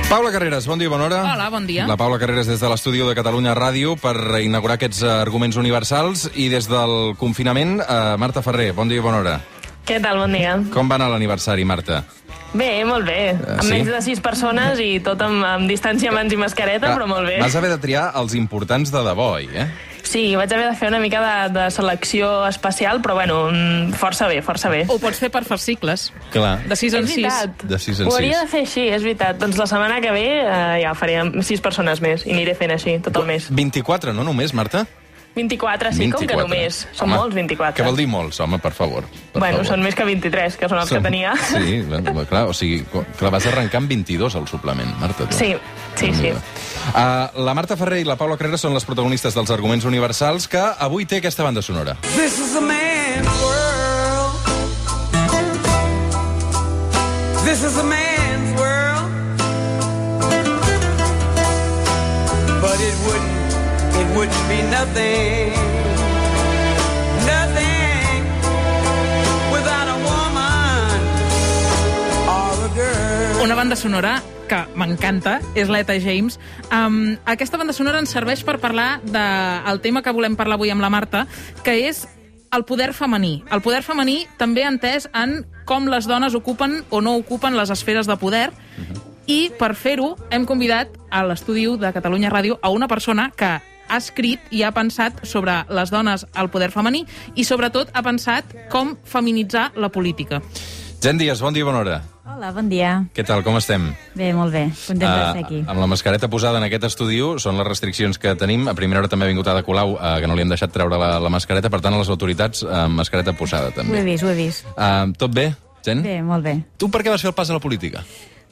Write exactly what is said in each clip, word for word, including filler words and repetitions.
Paula Carreras, bon dia, bona hora. Hola, bon dia. La Paula Carreras des de l'estudi de Catalunya Ràdio per inaugurar aquests arguments universals, i des del confinament, eh, Marta Ferrer, bon dia i bona hora. Què tal, bon dia. Com va anar l'aniversari, Marta? Bé, molt bé. Uh, amb sí? menys de sis persones i tot amb, amb distància, mans i mascareta, Clar, però molt bé. Vas haver de triar els importants de debò, eh? Sí, vaig haver de fer una mica de, de selecció especial, però bueno, força bé, força bé. Ho pots fer per fascicles. Clar. De sis en És sis. veritat. De sis en Ho hauria sis. de fer així, és veritat. Doncs la setmana que ve eh, ja faré amb sis persones més i aniré fent així tot el mes. vint-i-quatre, no només, Marta? vint-i-quatre, sí, com que només. Són Home, molts, vint-i-quatre. Què vol dir molts, home, per favor? Per Bueno, favor. són més que vint-i-tres, que són els Són- que tenia. Sí, bueno, clar, o sigui, que la vas arrencar amb vint-i-dos, al suplement, Marta. Tu. Sí, sí, sí. Uh, la Marta Ferrer i la Paula Carreras són les protagonistes dels arguments universals, que avui té aquesta banda sonora. This is a man's world. This is a man's world. But it wouldn't, it wouldn't be nothing. Nothing without a woman or a girl. Una banda sonora que m'encanta, és l'Eta James. Um, aquesta banda sonora ens serveix per parlar del tema que volem parlar avui amb la Marta, que és el poder femení. El poder femení també entès en com les dones ocupen o no ocupen les esferes de poder, i per fer-ho hem convidat a l'estudi de Catalunya Ràdio a una persona que ha escrit i ha pensat sobre les dones al poder femení i sobretot ha pensat com feminitzar la política. Jen Díaz, bon dia i bona hora. Hola, bon dia. Què tal, com estem? Bé, molt bé. Content de ser aquí. Uh, amb la mascareta posada en aquest estudi, són les restriccions que tenim. A primera hora també ha vingut Ada Colau, uh, que no li hem deixat treure la, la mascareta, per tant, a les autoritats, uh, mascareta posada, Ho he també. vist, ho he vist. Uh, tot bé, Jen? Bé, molt bé. Tu per què vas fer el pas a la política?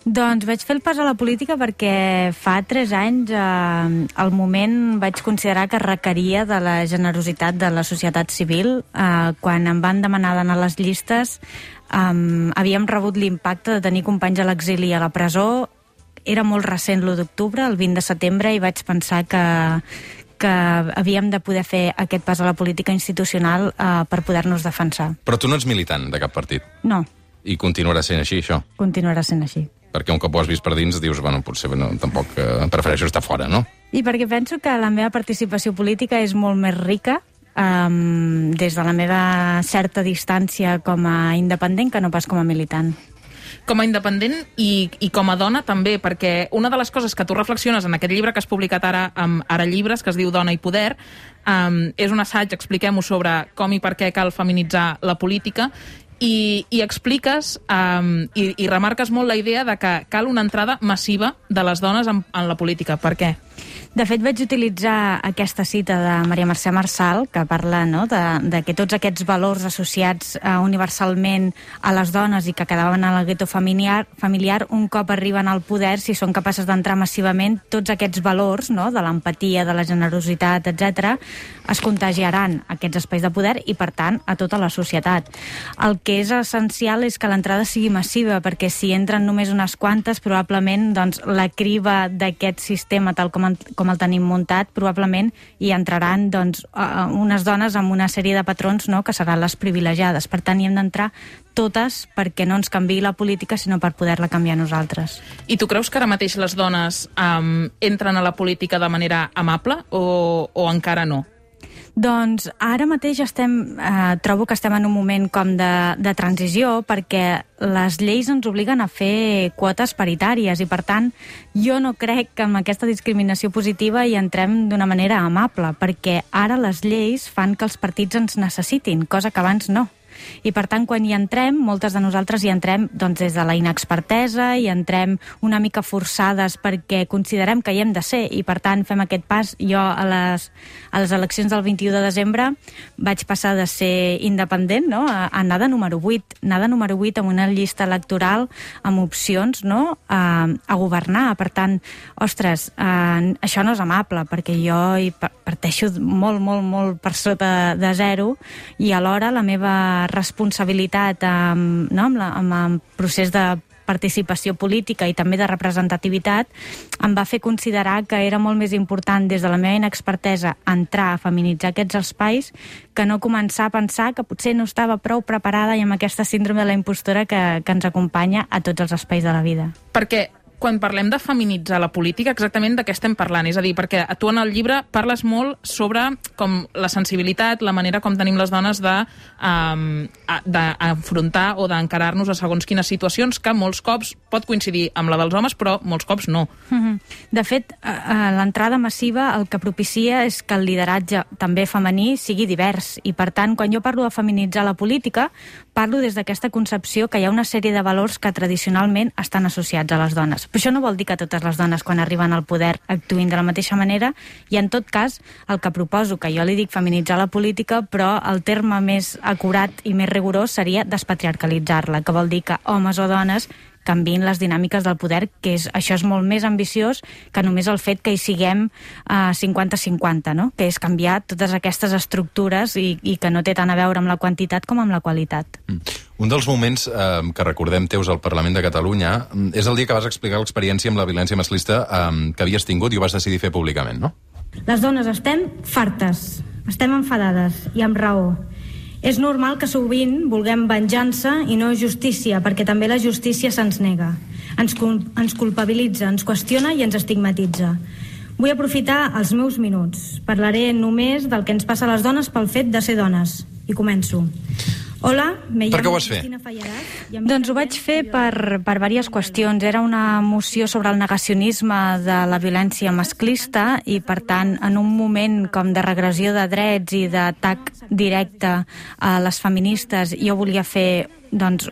Doncs vaig fer el pas a la política perquè fa tres anys eh, al moment vaig considerar que requeria de la generositat de la societat civil. Eh, quan em van demanar d'anar a les llistes, eh, havíem rebut l'impacte de tenir companys a l'exili i a la presó. Era molt recent l'u d'octubre, el vint de setembre, i vaig pensar que, que havíem de poder fer aquest pas a la política institucional eh, per poder-nos defensar. Però tu no ets militant de cap partit. No, I continuarà sent així, això. continuarà sent així. Perquè un cop ho has vist per dins, dius, bueno, potser no, tampoc eh, prefereixo estar fora, no? I perquè penso que la meva participació política és molt més rica um, des de la meva certa distància com a independent que no pas com a militant. Com a independent i, i com a dona també, perquè una de les coses que tu reflexiones en aquest llibre que has publicat ara amb Ara Llibres, que es diu Dona i Poder, um, és un assaig, expliquem-ho, sobre com i per què cal feminitzar la política, i, i expliques um, i, i remarques molt la idea de que cal una entrada massiva de les dones en, en la política. Per què? De fet, vaig utilitzar aquesta cita de Maria Mercè Marçal, que parla, no?, de, de que tots aquests valors associats uh, universalment a les dones i que quedaven a la gueto familiar, familiar, un cop arriben al poder, si són capaces d'entrar massivament, tots aquests valors, no?, de l'empatia, de la generositat, etcètera, es contagiaran a aquests espais de poder i, per tant, a tota la societat. El que és essencial és que l'entrada sigui massiva, perquè si entren només unes quantes, probablement doncs, la criba d'aquest sistema, tal com, en, com el tenim muntat, probablement hi entraran doncs, uh, unes dones amb una sèrie de patrons, no?, que seran les privilegiades. Per tant, hi hem d'entrar totes perquè no ens canviï la política, sinó per poder-la canviar nosaltres. I tu creus que ara mateix les dones um, entren a la política de manera amable o, o encara no? Doncs ara mateix estem, eh, trobo que estem en un moment com de, de transició, perquè les lleis ens obliguen a fer quotes paritàries i, per tant, jo no crec que amb aquesta discriminació positiva hi entrem d'una manera amable, perquè ara les lleis fan que els partits ens necessitin, cosa que abans no. I, per tant, quan hi entrem, moltes de nosaltres hi entrem doncs, des de la inexpertesa, hi entrem una mica forçades perquè considerem que hi hem de ser i, per tant, fem aquest pas. Jo, a les, a les eleccions del vint-i-u de desembre, vaig passar de ser independent, no?, a, a anar de número vuit. Anar de número vuit amb una llista electoral amb opcions, no?, a, a governar. Per tant, ostres, eh, això no és amable, perquè jo hi parteixo molt, molt, molt per sota de zero i alhora la meva responsabilitat amb, no, amb, la, amb el procés de participació política i també de representativitat em va fer considerar que era molt més important des de la meva inexpertesa entrar a feminitzar aquests espais que no començar a pensar que potser no estava prou preparada i amb aquesta síndrome de la impostora que, que ens acompanya a tots els espais de la vida. Perquè quan parlem de feminitzar la política, exactament de què estem parlant? És a dir, perquè tu en el llibre parles molt sobre com la sensibilitat, la manera com tenim les dones de, um, d'afrontar o d'encarar-nos a segons quines situacions, que molts cops pot coincidir amb la dels homes, però molts cops no. De fet, l'entrada massiva el que propicia és que el lideratge també femení sigui divers, i per tant, quan jo parlo de feminitzar la política, parlo des d'aquesta concepció que hi ha una sèrie de valors que tradicionalment estan associats a les dones. Però això no vol dir que totes les dones, quan arriben al poder, actuïn de la mateixa manera, i en tot cas, el que proposo, que jo li dic feminitzar la política, però el terme més acurat i més rigorós seria despatriarcalitzar-la, que vol dir que homes o dones canviïn les dinàmiques del poder, que és, això és molt més ambiciós que només el fet que hi siguem uh, cinquanta cinquanta, no? Que és canviar totes aquestes estructures i, i que no té tant a veure amb la quantitat com amb la qualitat. Mm. Un dels moments eh, que recordem teus al Parlament de Catalunya és el dia que vas explicar l'experiència amb la violència masclista eh, que havies tingut i ho vas decidir fer públicament, no? Les dones estem fartes, estem enfadades i amb raó. És normal que sovint vulguem venjança i no justícia, perquè també la justícia se'ns nega. Ens, cul ens culpabilitza, ens qüestiona i ens estigmatitza. Vull aprofitar els meus minuts. Parlaré només del que ens passa a les dones pel fet de ser dones. I començo. Hola, me per què ho vas fer? Doncs ho vaig fer per, per diverses qüestions. Era una moció sobre el negacionisme de la violència masclista i, per tant, en un moment com de regressió de drets i d'atac directe a les feministes, jo volia fer, doncs,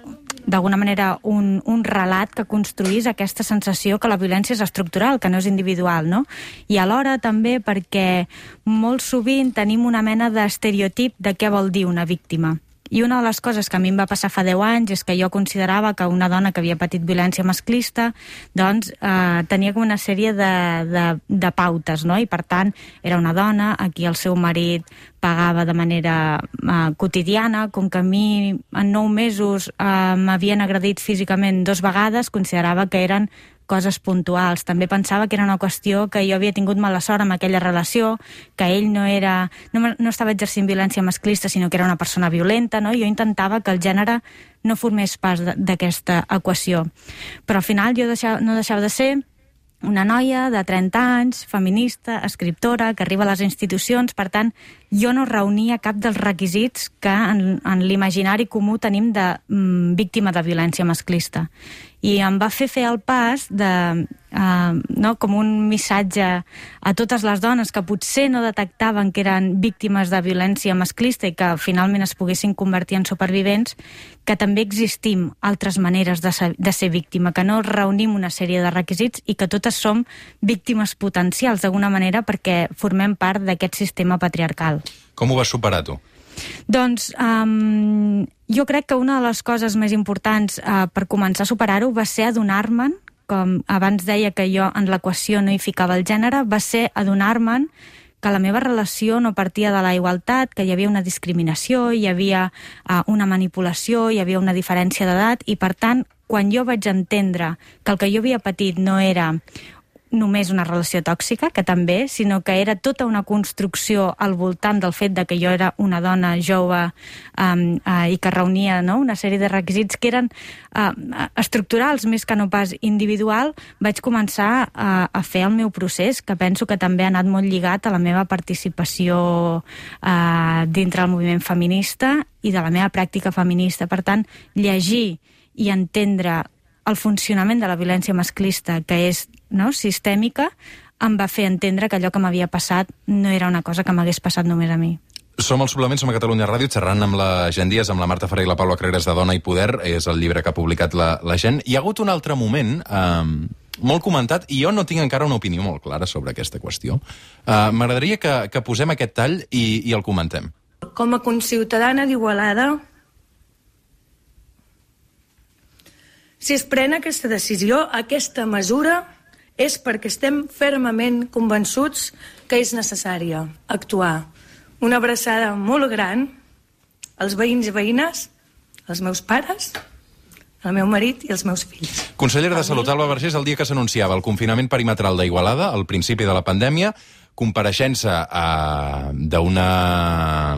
d'alguna manera un, un relat que construís aquesta sensació que la violència és estructural, que no és individual, no? I alhora també perquè molt sovint tenim una mena d'estereotip de què vol dir una víctima. I una de les coses que a mi em va passar fa deu anys és que jo considerava que una dona que havia patit violència masclista doncs eh, tenia com una sèrie de, de, de pautes, no? I per tant era una dona a qui el seu marit pagava de manera eh, quotidiana, com que a mi en nou mesos eh, m'havien agredit físicament dos vegades, considerava que eren coses puntuals. També pensava que era una qüestió que jo havia tingut mala sort amb aquella relació, que ell no era no, no estava exercint violència masclista, sinó que era una persona violenta, no? Jo intentava que el gènere no formés part d'aquesta equació. Però al final jo deixava, no deixava de ser una noia de trenta anys, feminista, escriptora, que arriba a les institucions. Per tant, jo no reunia cap dels requisits que en, en l'imaginari comú tenim de mm, víctima de violència masclista. I em va fer fer el pas de, uh, no, com un missatge a totes les dones que potser no detectaven que eren víctimes de violència masclista i que finalment es poguessin convertir en supervivents, que també existim altres maneres de ser, de ser víctima, que no reunim una sèrie de requisits i que totes som víctimes potencials d'alguna manera perquè formem part d'aquest sistema patriarcal. Com ho vas superar, tu? Doncs um, jo crec que una de les coses més importants uh, per començar a superar-ho va ser adonar-me'n, com abans deia que jo en l'equació no hi ficava el gènere, va ser adonar-me'n que la meva relació no partia de la igualtat, que hi havia una discriminació, hi havia uh, una manipulació, hi havia una diferència d'edat, i per tant, quan jo vaig entendre que el que jo havia patit no era només una relació tòxica, que també, sinó que era tota una construcció al voltant del fet de que jo era una dona jove um, uh, i que reunia, no?, una sèrie de requisits que eren uh, estructurals més que no pas individual, vaig començar uh, a fer el meu procés, que penso que també ha anat molt lligat a la meva participació uh, dintre del moviment feminista i de la meva pràctica feminista. Per tant, llegir i entendre el funcionament de la violència masclista, que és, no, sistèmica, em va fer entendre que allò que m'havia passat no era una cosa que m'hagués passat només a mi. Som al Suplement, som a Catalunya Ràdio, xerrant amb la Gent Díaz, amb la Marta Ferrer i la Paula Creres de Dona i Poder. És el llibre que ha publicat la, la Gent. Hi ha hagut un altre moment eh, molt comentat, i jo no tinc encara una opinió molt clara sobre aquesta qüestió. Eh, M'agradaria que, que posem aquest tall i, i el comentem. Com a conciutadana d'Igualada, si es pren aquesta decisió, aquesta mesura, és perquè estem fermament convençuts que és necessària actuar. Una abraçada molt gran als veïns i veïnes, als meus pares, al meu marit i als meus fills. Consellera de Salut, Alba Vergés, el dia que s'anunciava el confinament perimetral d'Igualada, al principi de la pandèmia, compareixença eh, d'una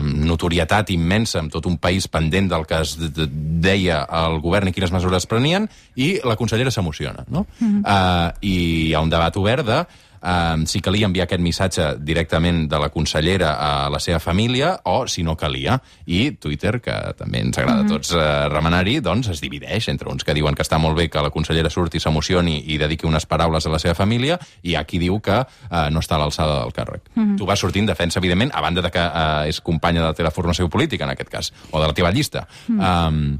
notorietat immensa amb tot un país pendent del que es deia el govern i quines mesures prenien, i la consellera s'emociona, no? Mm-hmm. eh, I hi ha un debat obert de Uh, si calia enviar aquest missatge directament de la consellera a la seva família o si no calia. I Twitter, que també ens agrada a tots uh, remenar-hi, doncs es divideix entre uns que diuen que està molt bé que la consellera surti, s'emocioni i dediqui unes paraules a la seva família, i hi ha qui diu que uh, no està a l'alçada del càrrec. Mm-hmm. Tu vas sortir en defensa, evidentment, a banda de que uh, és companya de la teva formació política, en aquest cas, o de la teva llista. Mm. Um...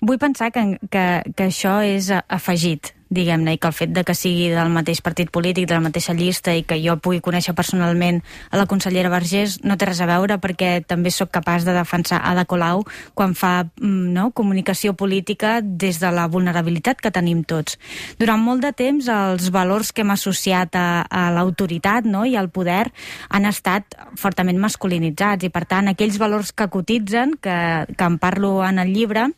Vull pensar que, que, que això és afegit, diguem-ne, i que el fet de que sigui del mateix partit polític, de la mateixa llista, i que jo pugui conèixer personalment a la consellera Vergés no té res a veure, perquè també sóc capaç de defensar Ada Colau quan fa no, comunicació política des de la vulnerabilitat que tenim tots. Durant molt de temps els valors que hem associat a, a l'autoritat, no, i al poder han estat fortament masculinitzats, i per tant aquells valors que cotitzen, que, que en parlo en el llibre,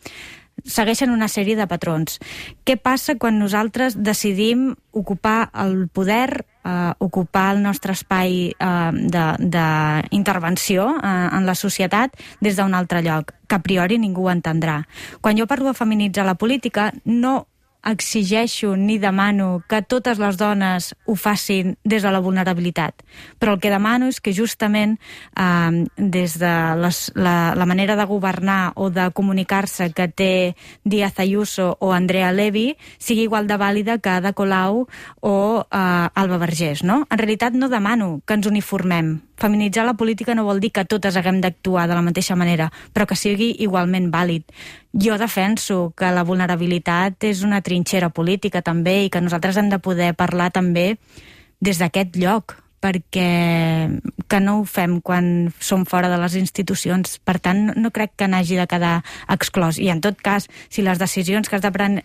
segueixen una sèrie de patrons. Què passa quan nosaltres decidim ocupar el poder, eh, ocupar el nostre espai eh, d'intervenció eh, en la societat des d'un altre lloc, que a priori ningú ho entendrà? Quan jo parlo de feminitzar la política, no exigeixo ni demano que totes les dones ho facin des de la vulnerabilitat, però el que demano és que justament eh, des de les, la, la manera de governar o de comunicar-se que té Díaz Ayuso o Andrea Levy sigui igual de vàlida que Ada Colau o eh, Alba Vergés, no? En realitat no demano que ens uniformem. Feminitzar la política no vol dir que totes haguem d'actuar de la mateixa manera, però que sigui igualment vàlid. Jo defenso que la vulnerabilitat és una trinxera política també, i que nosaltres hem de poder parlar també des d'aquest lloc, perquè que no ho fem quan som fora de les institucions. Per tant, no crec que n'hagi de quedar exclòs. I en tot cas, si les decisions que has de prendre...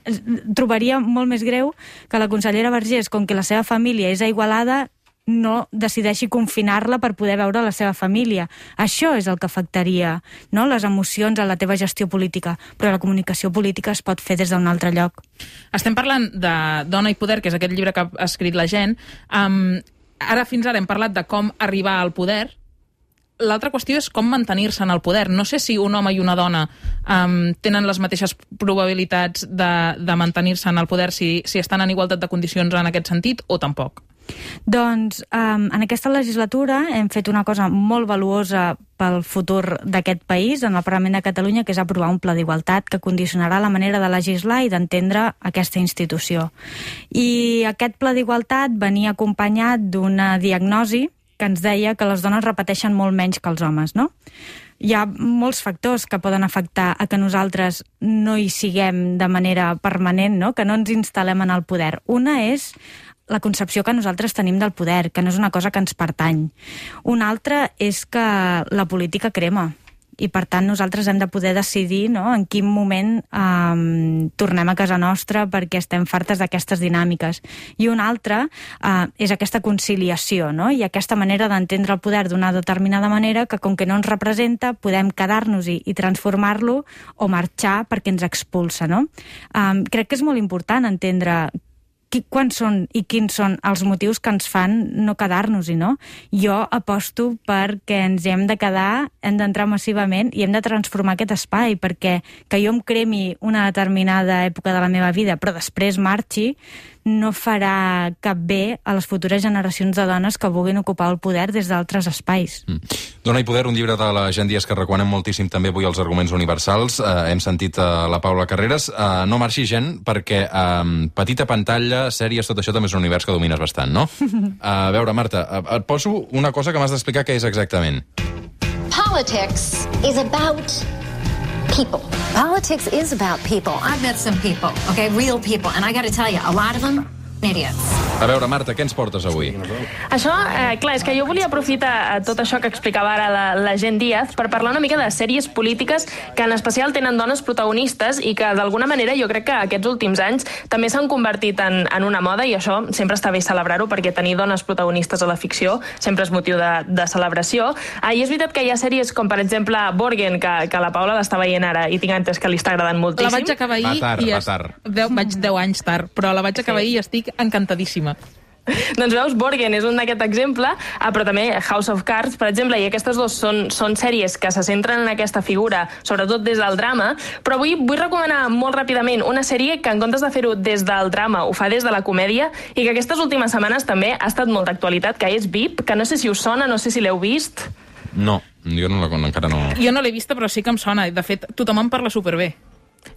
Trobaria molt més greu que la consellera Vergés, com que la seva família és a Igualada, no decideixi confinar-la per poder veure la seva família. Això és el que afectaria, no?, les emocions a la teva gestió política, però la comunicació política es pot fer des d'un altre lloc. Estem parlant de Dona i poder, que és aquest llibre que ha escrit la gent. Um, ara fins ara hem parlat de com arribar al poder. L'altra qüestió és com mantenir-se en el poder. No sé si un home i una dona um, tenen les mateixes probabilitats de, de mantenir-se en el poder si, si estan en igualtat de condicions en aquest sentit, o tampoc. Doncs um, en aquesta legislatura hem fet una cosa molt valuosa pel futur d'aquest país en el Parlament de Catalunya, que és aprovar un pla d'igualtat que condicionarà la manera de legislar i d'entendre aquesta institució. I aquest pla d'igualtat venia acompanyat d'una diagnosi que ens deia que les dones repeteixen molt menys que els homes, no? Hi ha molts factors que poden afectar a que nosaltres no hi siguem de manera permanent, no?, que no ens instal·lem en el poder. Una és la concepció que nosaltres tenim del poder, que no és una cosa que ens pertany. Una altra és que la política crema, i per tant nosaltres hem de poder decidir, no?, en quin moment um, tornem a casa nostra perquè estem fartes d'aquestes dinàmiques. I una altra uh, és aquesta conciliació, no?, i aquesta manera d'entendre el poder d'una determinada manera que, com que no ens representa, podem quedar-nos-hi i transformar-lo o marxar perquè ens expulsa, no? Um, crec que és molt important entendre quants són i quins són els motius que ens fan no quedar-nos-hi, no? Jo aposto perquè ens hi hem de quedar, hem d'entrar massivament i hem de transformar aquest espai, perquè que jo em cremi una determinada època de la meva vida però després marxi, no farà cap bé a les futures generacions de dones que vulguin ocupar el poder des d'altres espais. Mm. Dona i poder, un llibre de la Gent Díaz que recomanem moltíssim també avui als arguments universals. Uh, hem sentit uh, la Paula Carreras. Uh, no marxi, gent, perquè um, petita pantalla, sèries, tot això també és un univers que domines bastant, no? Uh, a veure, Marta, uh, et poso una cosa que m'has d'explicar què és exactament. Politics is about people. Politics is about people. I've met some people, okay, real people, and I got to tell you, a lot of them, idiots. A veure, Marta, què ens portes avui? Això, eh, clar, és que jo volia aprofitar tot això que explicava ara la, la Gent Díaz per parlar una mica de sèries polítiques que en especial tenen dones protagonistes i que d'alguna manera jo crec que aquests últims anys també s'han convertit en, en una moda, i això sempre està bé celebrar-ho, perquè tenir dones protagonistes a la ficció sempre és motiu de, de celebració. Ah, I és veritat que hi ha sèries com, per exemple, Borgen, que, que la Paula l'està veient ara i tinc entès que li està agradant moltíssim. La vaig acabar ahir va tard, i va es... tard. deu, vaig deu anys tard, però la vaig acabar ahir sí. i estic encantadíssima. Doncs veus, Borgen és un d'aquest exemple, ah, però també House of Cards, per exemple, i aquestes dues són, són sèries que se centren en aquesta figura, sobretot des del drama, però avui vull recomanar molt ràpidament una sèrie que en comptes de fer-ho des del drama ho fa des de la comèdia i que aquestes últimes setmanes també ha estat molt d'actualitat, que és V I P, que no sé si us sona, no sé si l'heu vist. No, jo no la, encara no... Jo no l'he vista, però sí que em sona. De fet, tothom en parla superbé.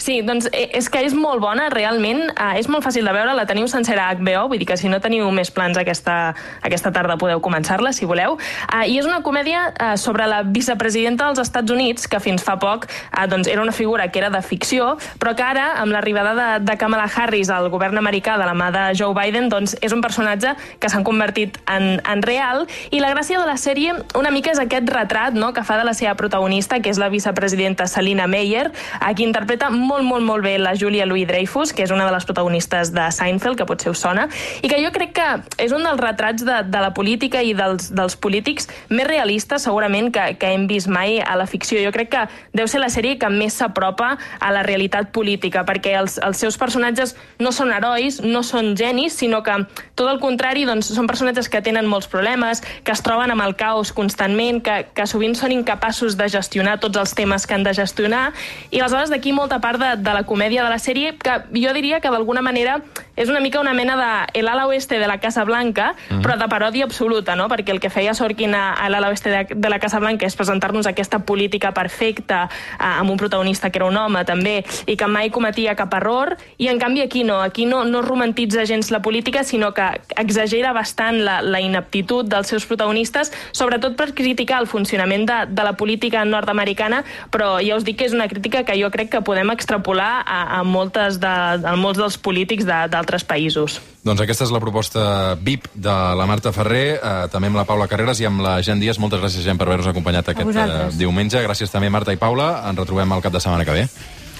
Sí, doncs és que és molt bona, realment, eh, és molt fàcil de veure, la teniu sencera a H B O, vull dir que si no teniu més plans aquesta, aquesta tarda podeu començar-la, si voleu. Eh, I és una comèdia eh, sobre la vicepresidenta dels Estats Units, que fins fa poc eh, doncs era una figura que era de ficció, però que ara, amb l'arribada de, de Kamala Harris al govern americà de la mà de Joe Biden, doncs és un personatge que s'han convertit en, en real, i la gràcia de la sèrie una mica és aquest retrat, no?, que fa de la seva protagonista, que és la vicepresidenta Salina Meyer, a qui interpreta molt, molt, molt bé la Julia Louis-Dreyfus, que és una de les protagonistes de Seinfeld, que potser us sona, i que jo crec que és un dels retrats de, de la política i dels, dels polítics més realistes, segurament, que, que hem vist mai a la ficció. Jo crec que deu ser la sèrie que més s'apropa a la realitat política, perquè els, els seus personatges no són herois, no són genis, sinó que, tot el contrari, doncs, són personatges que tenen molts problemes, que es troben amb el caos constantment, que, que sovint són incapaços de gestionar tots els temes que han de gestionar, i aleshores d'aquí molta part de, de la comèdia de la sèrie, que jo diria que d'alguna manera és una mica una mena de el ala oeste de la Casa Blanca, mm. però de paròdia absoluta, no? Perquè el que feia Sorkin a, a l'ala oeste de, de la Casa Blanca és presentar-nos aquesta política perfecta, eh, amb un protagonista que era un home, també, i que mai cometia cap error, i en canvi aquí no, aquí no, no romantitza gens la política, sinó que exagera bastant la, la ineptitud dels seus protagonistes, sobretot per criticar el funcionament de, de la política nord-americana, però ja us dic que és una crítica que jo crec que podem extrapolar a, a, moltes de, a molts dels polítics de, d'altres països. Doncs aquesta és la proposta V I P de la Marta Ferrer, eh, també amb la Paula Carreras i amb la Jen Díaz. Moltes gràcies, Jen, per haver-nos acompanyat aquest eh, diumenge. Gràcies també, Marta i Paula. Ens retrobem el cap de setmana que ve.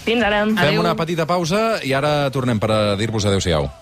Fins ara. Fem Adeu. una petita pausa i ara tornem per a dir-vos adéu-siau.